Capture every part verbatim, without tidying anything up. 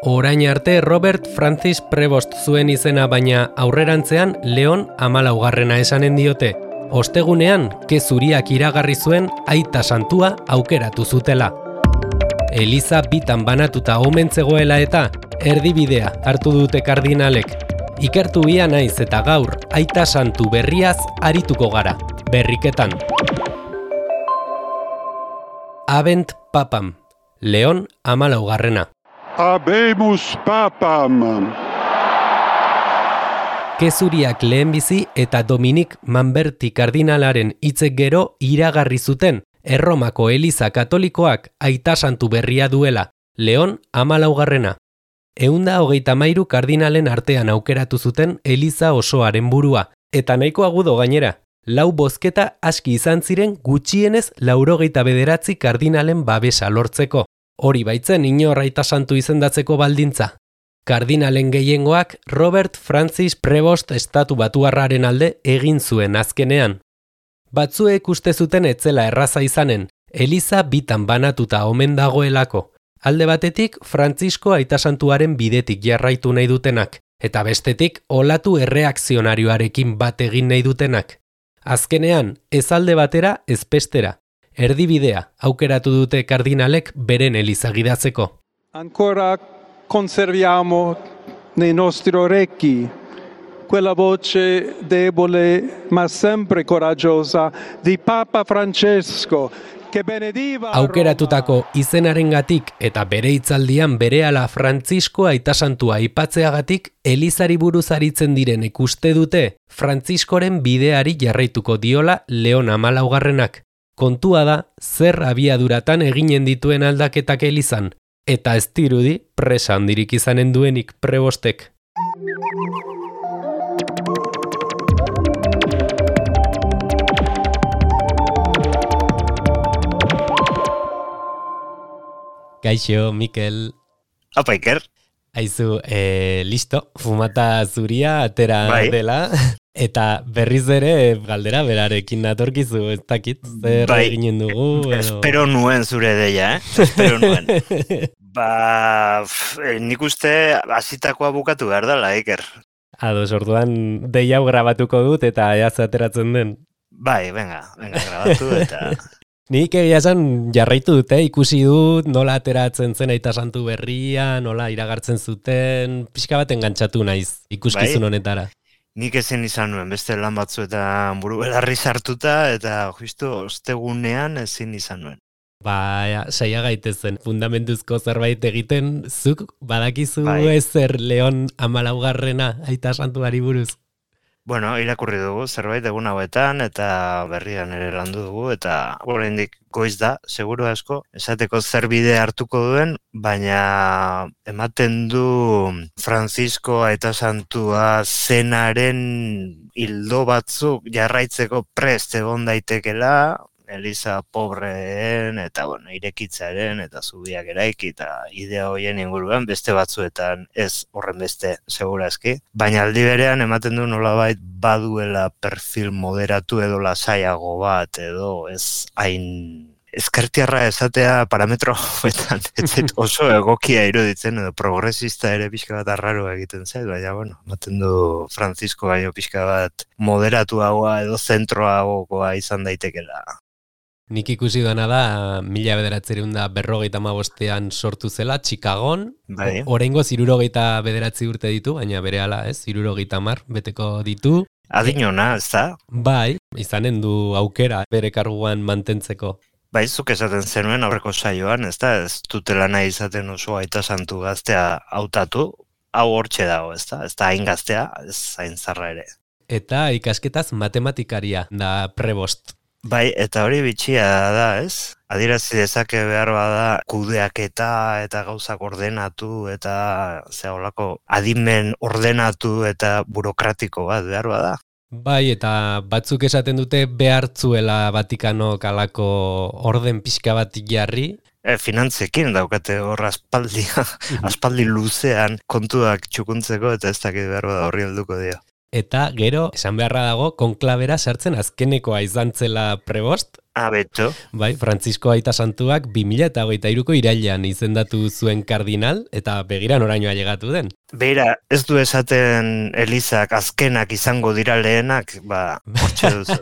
Orain arte Robert Francis Prevost zuen izena, baina aurrerantzean Leon hamalaugarrena esanen diote. Ostegunean, kezuriak iragarri zuen aita santua aukeratu zutela. Eliza bitan banatuta omen zegoela eta erdibidea hartu dute kardinalek. Ikertu ia naiz eta gaur aita santu berriaz arituko gara, berriketan. Habent papam, Leon hamalaugarrena. Habemus papam. Kezuriak lehenbizi eta Dominik Manberti kardinalaren hitzek gero iragarri zuten Erromako Eliza Katolikoak aita santu berria duela, Leon hamalaugarrena. Ehunda hogeita hamairu kardinalen artean aukeratu zuten Eliza osoaren burua, eta nahiko agudo gainera. Lau bozketa aski izan ziren gutxienez laurogeita bederatzi kardinalen babesa lortzeko. Hori baitzen inor aita santu izendatzeko baldintza. Kardinalen gehiengoak Robert Francis Prevost estatu batuarraren alde egin zuen azkenean. Batzuek uste zuten etzela erraza izanen, Eliza bitan banatuta omen dagoelako. Alde batetik Frantzisko aitasantuaren bidetik jarraitu nahi dutenak, eta bestetik olatu erreakzionarioarekin bat egin nahi dutenak. Azkenean, ez alde batera, ez bestera. Erdibidea aukeratu dute kardinalek beren Eliza gidatzeko. Ancora conserviamo nei nostri orecchi quella voce debole ma sempre coraggiosa di Papa Francesco che benediva Aukeratutako izenarengatik eta bere hitzaldian berehala Frantzisko aitasantua aipatzeagatik Elizari buruz aritzen direnek uste dute Frantziskoren bideari jarraituko diola Leon hamalaugarrenak. Kontua da zer abiaduratan eginen dituen aldaketak Elizan, eta ez dirudi presa handirik izanen duenik Prebostek. Kaixo, Mikel. Apa, Iker. Aizu, eh, listo, fumata zuria atera bai. Dela, eta berriz ere galdera berarekin natorkizu, ez dakit, zer bai. eginen dugu. Edo... Espero nuen zure deia, eh? Espero nuen. Ba, f, nik uste hasitakoa bukatu behar dela, Iker. Ados, orduan deia hau grabatuko dut eta eaz ateratzen den. Bai, venga, venga, grabatu eta... Nik egia esan jarraitu dute, ikusi dut nola ateratzen zen aita santu berria, nola iragartzen zuten, pixka bat engantzatu naiz ikuskizun bai? honetara. Nik ezin izan nuen, beste lan batzuetan buru belarri sartuta, eta justu ostegunean ezin izan nuen. Ba, saia gaitezen, fundamentuzko zerbait egiten, zuk badakizu bai. ezer Leon hamalaugarrena aita santuari buruz. Bueno, irakurri dugu zerbait egun hauetan eta berrian ere landu dugu eta oraindik goiz da, seguru asko, esateko zer bide hartuko duen, baina ematen du Francisco aita santua zenaren hildo batzuk jarraitzeko prest egon daitekela, Eliza pobreen eta bueno, irekitzaren eta zubiak eraiki eta idea hoien inguruan beste batzuetan ez horren beste segurazki. Baina aldi berean ematen du nolabait baduela perfil moderatu edo lasaiago bat edo ez hain ezkertiarra esatea parametro hauetan. Ez oso egokia iruditzen edo progresista ere pixka bat arraro egiten zait, baina bueno, ematen du Francisco baino pixka bat moderatuagoa edo zentroagoa izan daitekela. Nik ikusi dana da, mila bederatziehun eta berrogeita hamabostean sortu zela, Chicagon, bai. Oraingoz hirurogeita bederatzi urte ditu, baina berehala ez, hirurogeita hamar beteko ditu. Adinona, ez da? Bai, izanen du aukera bere karguan mantentzeko. Bai, zuk esaten zenuen aurreko saioan, ez da? Ez dutela nahi izaten oso aita santu gaztea hautatu, hau hortxe dago, ez da? Ez da hain gaztea, ez hain zarra ere. Eta ikasketaz matematikaria da Prevost. Bai, eta hori bitxia da, ez? Adierazi dezake behar bada kudeaketa eta gauzak ordenatu eta ze holako adimen ordenatu eta burokratiko bat behar bada. Bai, eta batzuk esaten dute behartzuela Vatikanok halako orden pixka bat jarri. E, finantzekin daukate hor aspaldi, aspaldi luzean kontuak txukuntzeko eta ez dakit behar bada horri helduko dio. Eta gero, esan beharra dago, konklabera sartzen azkenekoa izan zela Prevost, Ah, beto. Bai, Frantzisko Aita Santuak bi mila hogeita hiruko irailean izendatu zuen kardinal, eta begira norainoa llegatu den. Beira, ez du esaten Elizak azkenak izango dira lehenak, ba, hortxe duzu.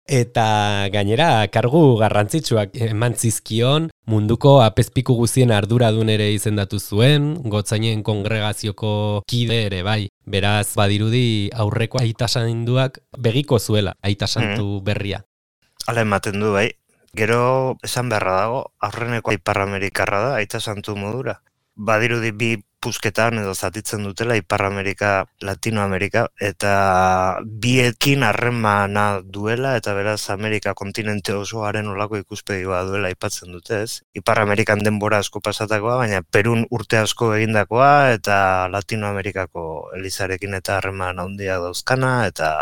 Eta gainera, kargu garrantzitsuak eman zizkion, munduko apezpiku guzien arduradun ere izendatu zuen, gotzainen kongregazioko kide ere bai. Beraz, badirudi aurreko Aita Santuak begiko zuela Aita Santu berria. Hala ematen du, bai. Gero, esan beharra dago, aurreneko Ipar Amerikarra da, Aita Santu modura. Badirudi bi pusketan edo zatitzen dutela Ipar Amerika, Latinoamerika, eta biekin harremana duela, eta beraz Amerika kontinente osoaren olako ikuspegi bat duela aipatzen dute, ez? Ipar Amerikan denbora asko pasatakoa, baina Perun urte asko egindakoa, eta Latinoamerikako Elizarekin eta harreman handia dauzkana, eta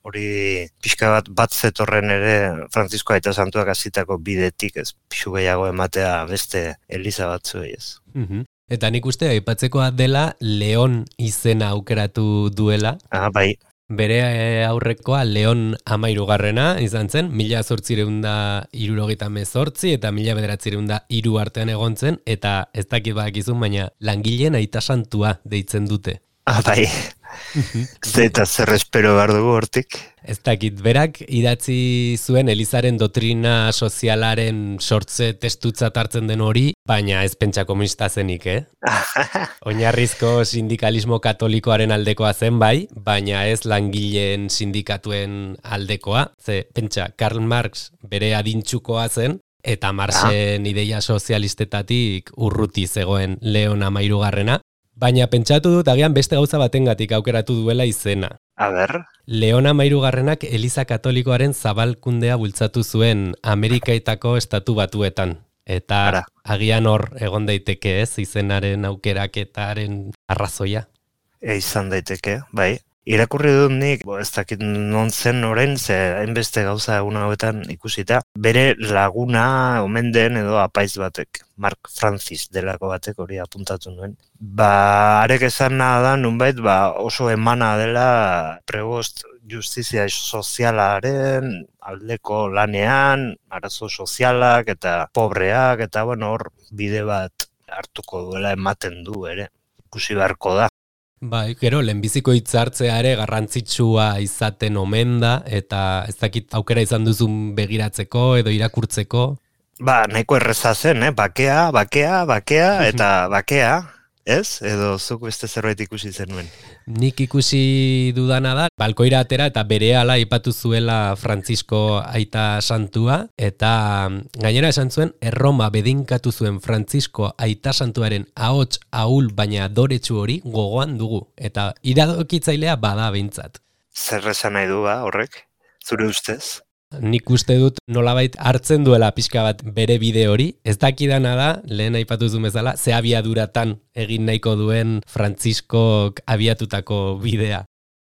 hori pixka bat bat zetorren ere Frantzisko Aita Santuak hasitako bidetik, ez pixu gehiago ematea beste Eliza batzuei, ez. Mhm. Eta nik uste aipatzekoa dela Leon izena aukeratu duela. Ah, bai. Bere aurrekoa Leon Amairugarrena izan zen, mila zortzireun da hirurogeita hemezortzi eta mila bederatzireun da hiru artean egon zen, eta ez dakit badakizun, baina langileen Aita Santua deitzen dute. Ah, bai. Zeta zer espero behar dugu hortik. Ez dakit, berak idatzi zuen Elizaren dotrina sozialaren sortze testutzat hartzen den hori, baina ez pentsa komunista zenik, eh? Oinarrizko sindikalismo katolikoaren aldekoa zen bai, baina ez langileen sindikatuen aldekoa. Ze, pentsa, Karl Marx bere adintxukoa zen, eta Marxen ideia sozialistetatik urruti zegoen Leon Amairugarrena. Baina pentsatu dut agian beste gauza batengatik aukeratu duela izena. A ber. Leon Amairugarrenak Eliza Katolikoaren zabalkundea bultzatu zuen Amerikaetako estatu batuetan. Eta Ara. Agian hor egon daiteke ez, izenaren aukeraketaren arrazoia. E, izan daiteke, bai. Irakurri dut nik, bo, ez dakit non zen orain, ze hainbeste gauza egun hauetan ikusita, bere laguna omen den edo apaiz batek, Mark Francis delako batek hori apuntatu nuen. Ba, arek esan nahi da, nunbait, ba, oso emana dela pregost justizia sozialaren aldeko lanean, arazo sozialak eta pobreak, eta bueno, hor bide bat hartuko duela ematen du ere, ikusi beharko da. Bai, gero, lehenbiziko hitzartzea ere garrantzitsua izaten omen da, eta ez dakit aukera izan duzun begiratzeko edo irakurtzeko. Ba, nahiko erreza zen, eh? Bakea, bakea, bakea, eta bakea, ez? Edo zuk beste zerbait ikusi zenuen. Nik ikusi dudana da, balkoira atera eta berehala aipatu zuela Frantzisko Aita Santua, eta gainera esan zuen, Erroma bedinkatu zuen Frantzisko Aita Santuaren ahots ahul baina adoretsu hori gogoan dugu, eta iradokitzailea bada behintzat. Zer esan nahi du ba, horrek, zure ustez? Nik uste dut nolabait hartzen duela pixka bat bere bide hori, ez dakidana da, lehen aipatu zuen bezala, ze abiaduratan egin nahiko duen Frantziskok abiatutako bidea.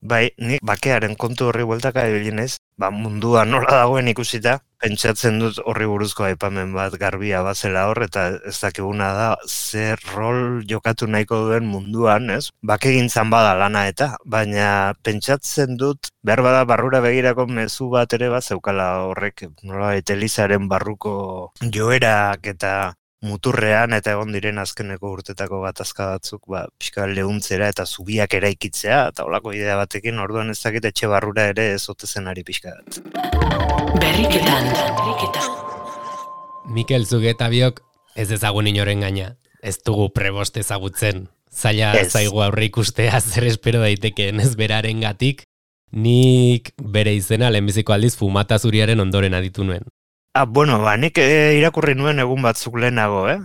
Bai, nik bakearen kontu horri bueltaka ebilinez, ba mundua nola dagoen ikusita, pentsatzen dut horri buruzko aipamen bat garbia bazela hor, eta ez dakiguna da zer rol jokatu nahiko duen munduan, ez? Bakegintzan bada lana eta, baina pentsatzen dut, behar bada barrura begirako mezu bat ere bat zeukala horrek, nola Elizaren barruko joerak eta muturrean eta egon diren azkeneko urtetako gatazka batzuk, ba, pixka lehuntzera eta zubiak eraikitzea, eta holako idea batekin, orduan ez dakit etxe barrura ere ez ote zenari pixka bat. Berriketan, berriketan. Mikel Zugeta biok ez ezagun inoren gaina, ez dugu prebost ezagutzen, zaila zaigu aurre ikustea zer espero daitekeen ez beraren gatik, nik bere izena lehenbiziko aldiz fumata zuriaren ondoren aditu nuen. Ah, bueno, ba, nik e, irakurri nuen egun batzuk lehenago, eh?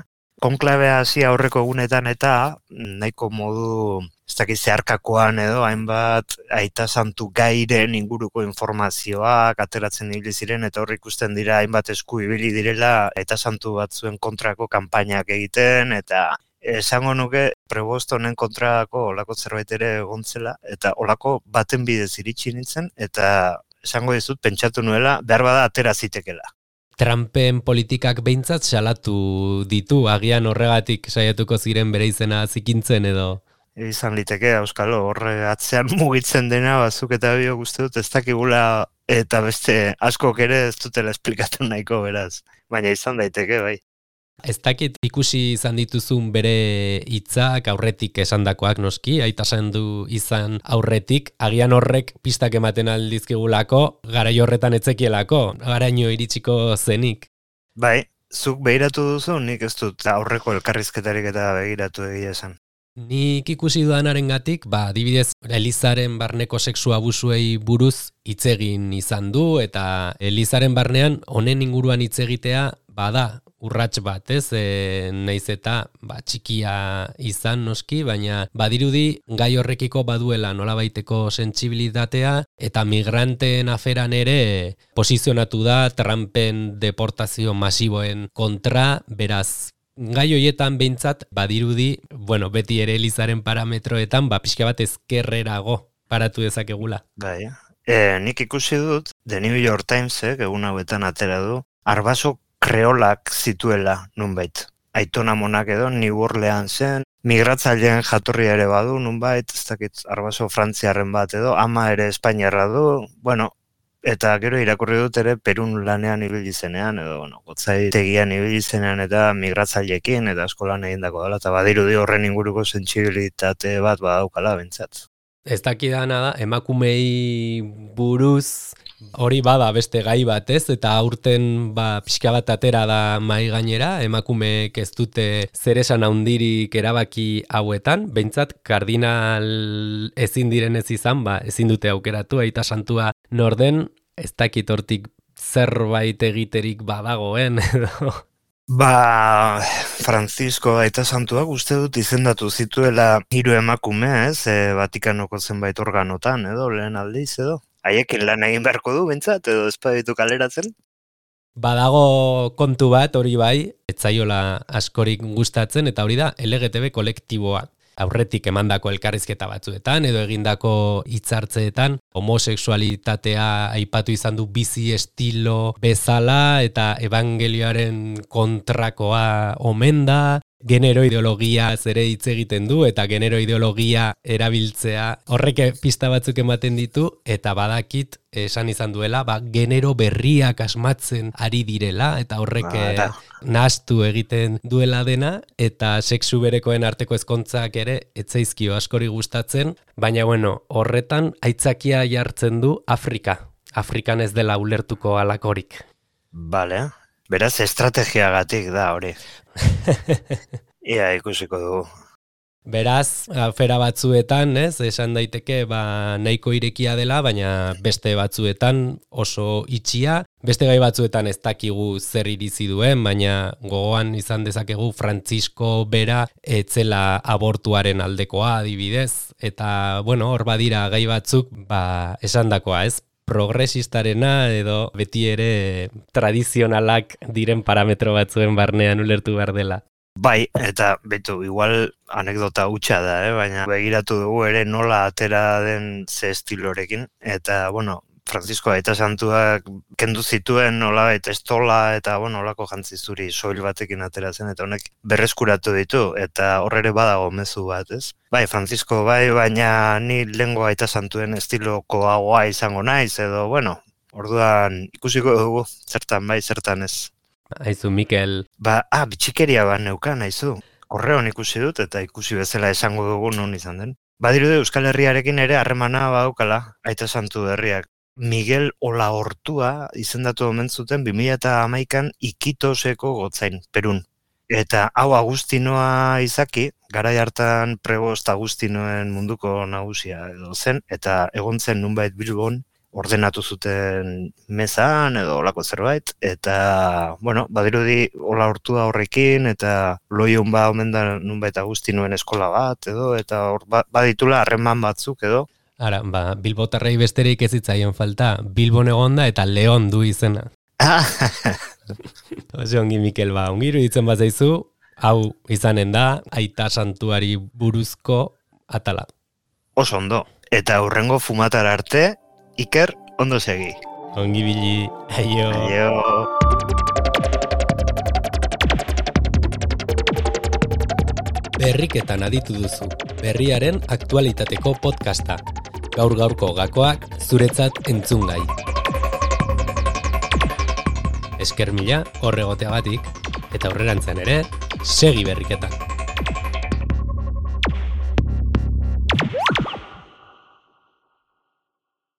Konklabea hasi aurreko egunetan eta nahiko modu, ez dakit zeharkakoan edo, hainbat Aita Santu gairen inguruko informazioak ateratzen ibili ziren eta hor ikusten dira hainbat esku ibili direla Aita Santu batzuen kontrako kanpainak egiten eta esango nuke prebost honen kontrako olako zerbait ere egontzela eta olako baten bidez iritsi nintzen eta esango dizut pentsatu nuela behar bada atera zitekela. Trumpen politikak behintzat salatu ditu, agian horregatik saiatuko ziren bere izena zikintzen edo? izan liteke, auskalo, horre atzean mugitzen dena, bazuk eta biok uste dut, ez dakigula eta beste askok ere ez dutela esplikatu nahiko beraz. Baina izan daiteke, bai. Ez dakit ikusi izan dituzun bere hitzak aurretik esandakoak noski, aita du izan aurretik, agian horrek pistak ematen aldizkigulako, garai horretan etzekielako, garaino iritsiko zenik. Bai, zuk behiratu duzu, nik ez dut aurreko elkarrizketarik eta begiratu egia esan. Nik ikusi duanarengatik, ba, adibidez, Elizaren barneko sexu abusuei buruz hitz egin izan du, eta Elizaren barnean honen inguruan hitz egitea bada urrats bat, ez? E, naiz eta ba, txikia izan noski, baina badirudi gai horrekiko baduela nolabaiteko sentsibilitatea eta migranteen aferan ere posizionatu da Trumpen deportazio masiboen kontra, beraz gai hoietan behintzat badirudi, bueno, beti ere Elizaren parametroetan, ba, pixka bat ezkerrerago paratu dezakegula. Bai, e, nik ikusi dut, The New York Timesek egun hauetan atera du, arbaso kreolak zituela nunbait. Aitona monak edo New Orleansen, migratzaileen jatorria ere badu nunbait, ez dakit arbaso frantziarren bat edo, ama ere espainiarra du, bueno, eta gero irakurri dut ere Perun lanean ibili zenean, edo, bueno, gotzaitegian ibili zenean eta migratzaileekin eta eskolan egindako dela, eta badirudi horren inguruko sentsibilitate bat badaukala bentsat. Ez dakidana da, emakumei buruz hori bada beste gai bat, ez? Eta aurten ba, pixka bat atera da mai gainera, emakumeek ez dute zer esan handirik erabaki hauetan, behintzat kardinal ezin direnez izan, ba, ezin dute aukeratu, aita santua norden, ez dakit hortik zerbait egiterik badagoen, edo... Ba, Francisco aita santuak uste dut izendatu zituela hiru emakume, ez, e, Vatikanoko zenbait organotan, edo, lehen aldiz, edo. Haiekin lan egin beharko du, bentsat, edo espaditu kaleratzen? Badago kontu bat, hori bai, etzaiola askorik gustatzen, eta hori da, L G T B kolektiboa. Aurretik emandako elkarrizketa batzuetan, edo egindako hitzartzeetan, homosexualitatea aipatu izan du bizi estilo bezala, eta evangelioaren kontrakoa omen da, genero ideologia ere hitz egiten du, eta genero ideologia erabiltzea horrek pista batzuk ematen ditu, eta badakit esan izan duela, ba, genero berriak asmatzen ari direla, eta horrek ba, nahastu egiten duela dena, eta sexu berekoen arteko ezkontzak ere etzaizkio askori gustatzen, baina bueno, horretan aitzakia jartzen du Afrika. Afrikan ez dela ulertuko alakorik. Bale, beraz estrategiagatik da hori. Ia ikusiko dugu. Beraz, afera batzuetan, ez, esan daiteke ba, nahiko irekia dela, baina beste batzuetan oso itxia, beste gai batzuetan ez dakigu zer irizi duen, baina gogoan izan dezakegu Francisco bera etzela abortuaren aldekoa adibidez, eta bueno, hor badira gai batzuk, ba, esandakoa, ez? Progresistarena edo beti ere tradizionalak diren parametro batzuen barnean ulertu behar dela. Bai, eta betu, igual anekdota hutsa da, eh? Baina begiratu dugu ere nola atera den ze estilorekin, eta, bueno, Francisco aita santuak kendu zituen nola eta estola eta, bueno, olako jantzi zuri soil batekin ateratzen, eta honek berreskuratu ditu, eta horre badago mezu bat, ez? Bai, Francisco, bai, baina ni lehengo aita santuen estiloko hagoa izango naiz, edo, bueno, orduan ikusiko dugu, zertan bai, zertan ez. Aizu, Mikel. Ba, ah, bitxikeria bat neukan, aizu. Korreon ikusi dut, eta ikusi bezala esango dugu non izan den. Badirude Euskal Herriarekin ere harremana badaukala, aita santu herriak. Miguel Olaortua izendatu omen zuten bi mila hamaikan Ikitoseko gotzain, Perun. Eta hau Agustinoa izaki, garai hartan prebost Agustinoen munduko nagusia edo zen, eta egon zen nunbait Bilbon, ordenatu zuten mezan edo olako zerbait, eta, bueno, badirudi Olaortua horrekin, eta loion ba omen da nunbait Agustinoen eskola bat, edo, eta hor baditula harreman batzuk, edo. Ara, ba, Bilbotarrei besterik ez zitzaien falta, Bilbon egonda eta Leon du izena. Oso ongi, Mikel, ba, ongi iruditzen bazaizu, hau izanen da, aita santuari buruzko atala. Oso ondo, eta hurrengo fumatara arte, Iker, ondo segi. Ongi bili, aio. Aio. Berriketan aditu duzu. berriaren aktualitateko podcasta. Gaur gaurko gakoak zuretzat entzungai. Esker mila horregoteagatik eta aurrerantzean ere segi berriketan.